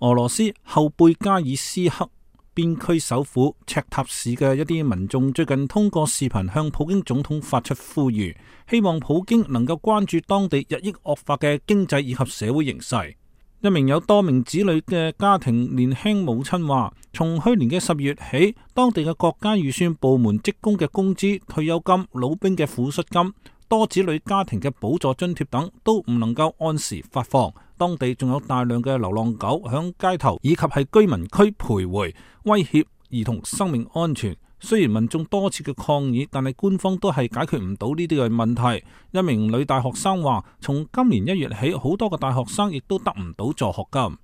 俄羅斯後貝加爾斯克邊區首府赤塔市嘅一啲民眾最近通過視頻向普京總統發出呼籲，希望普京能夠關注當地日益惡化嘅經濟以及社會形勢。一名有多名子女嘅家庭年輕母親話，從去年嘅10月起，當地嘅國家預算部門職工嘅工資、退休金、老兵嘅撫恤金、多子女家庭嘅補助津貼等都唔能夠按時發放。當地仲有大量嘅流浪狗響街頭以及係居民區徘徊，威脅兒童生命安全。雖然民眾多次嘅抗議，但係官方都係解決唔到呢啲嘅問題。一名女大學生話，從今年1月起，好多嘅大學生亦都得唔到助學金。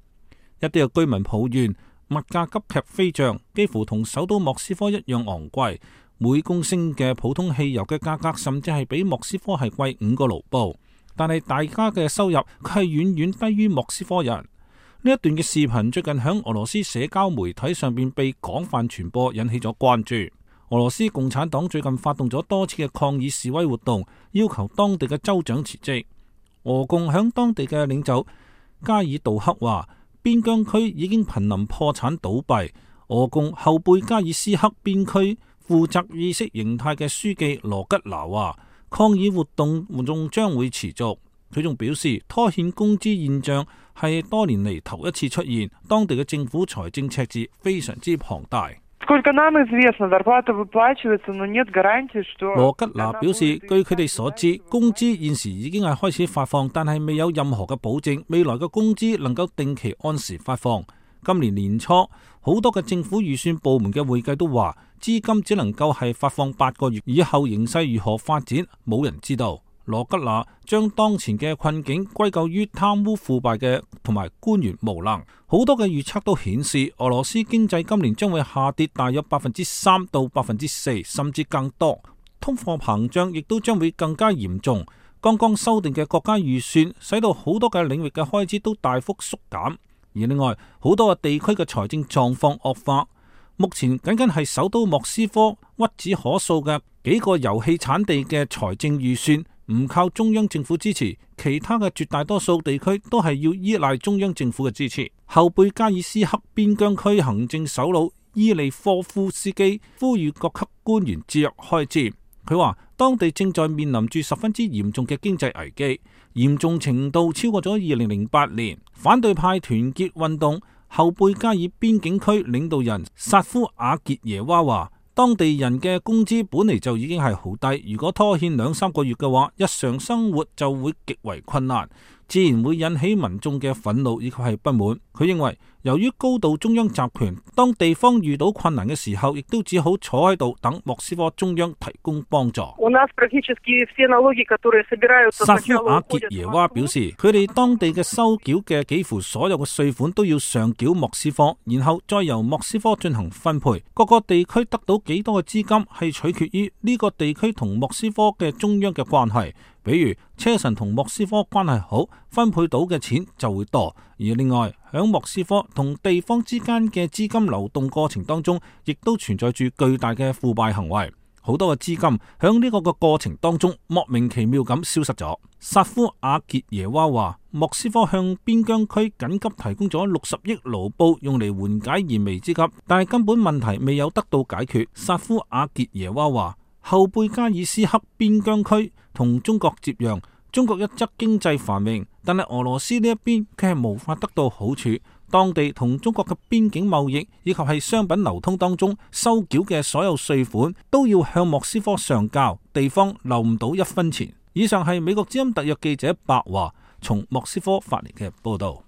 一啲嘅居民抱怨物價急劇飛漲，幾乎同首都莫斯科一樣昂貴。每公升嘅普通汽油嘅價格甚至係比莫斯科係貴5個盧布。但係大家嘅收入佢係遠遠低於莫斯科人。呢一段嘅視頻最近響俄羅斯社交媒體上邊被廣泛傳播，引起咗關注。俄羅斯共產黨最近發動咗多次嘅抗議示威活動，要求當地嘅州長辭職。俄共響當地嘅領袖加爾杜克話，邊疆區已經瀕臨破產倒閉。俄共後貝加爾斯克邊區負責意識形態嘅書記羅吉拿話，抗議活動仲將會持續。佢仲表示，拖欠工資現象係多年嚟頭一次出現，當地嘅政府財政赤字非常之龐大。羅吉拿表示，據佢哋所知，工資現時已經係開始發放，但係未有任何嘅保證未來嘅工資能夠定期按時發放。今年年初，好多嘅政府預算部門嘅會計都話，資金只能夠係發放8個月，以後形勢如何發展，冇人知道。羅吉拿將當前嘅困境歸咎於貪污腐敗嘅同埋官員無能。好多嘅預測都顯示，俄羅斯經濟今年將會下跌大約3%到4%，甚至更多。通貨膨脹亦都將會更加嚴重。剛剛修訂嘅國家預算，使到好多嘅領域嘅開支都大幅縮減。而另外，好多嘅地區嘅財政狀況惡化。目前僅僅係首都莫斯科屈指可數嘅幾個油氣產地嘅財政預算唔靠中央政府支持，其他嘅絕大多數地區都係要依賴中央政府嘅支持。後貝加爾斯克邊疆區行政首腦伊利科夫斯基呼籲各級官員節約開支。佢話當地正在面臨住十分之嚴重嘅經濟危機，嚴重程度超過咗2008年。反對派團結運動後貝加爾邊境區領導人薩夫阿傑耶娃話，當地人嘅工資本嚟就已經係好低，如果拖欠2-3個月嘅話，日常生活就會極為困難，自然會引起民眾嘅憤怒以及係不滿。佢認為，由於高度中央集權，當地方遇到困難嘅時候，亦都只好坐喺度等莫斯科中央提供幫助。薩夫阿傑耶娃表示，佢哋當地嘅收繳嘅幾乎所有嘅稅款都要上繳莫斯科，然後再由莫斯科進行分配。各個地區得到幾多嘅資金係取決於呢個地區同莫斯科嘅中央嘅關係。比如車臣同莫斯科關係好，分配到嘅錢就會多。而另外響莫斯科同地方之間嘅資金流動過程當中，亦都存在住巨大嘅腐敗行為。好多嘅資金響呢個嘅過程當中莫名其妙咁消失咗。薩夫阿傑耶娃話，莫斯科向邊疆區緊急提供咗60億盧布用嚟緩解燃眉之急，但係根本問題未有得到解決。薩夫阿傑耶娃話，後貝加爾斯克邊疆區同中國接壤，中國一則經濟繁榮，但係俄羅斯呢一邊佢係無法得到好處。當地同中國嘅邊境貿易以及係商品流通當中收繳嘅所有稅款都要向莫斯科上交，地方留唔到1分錢。以上係美國之音特約記者白華從莫斯科發嚟嘅報道。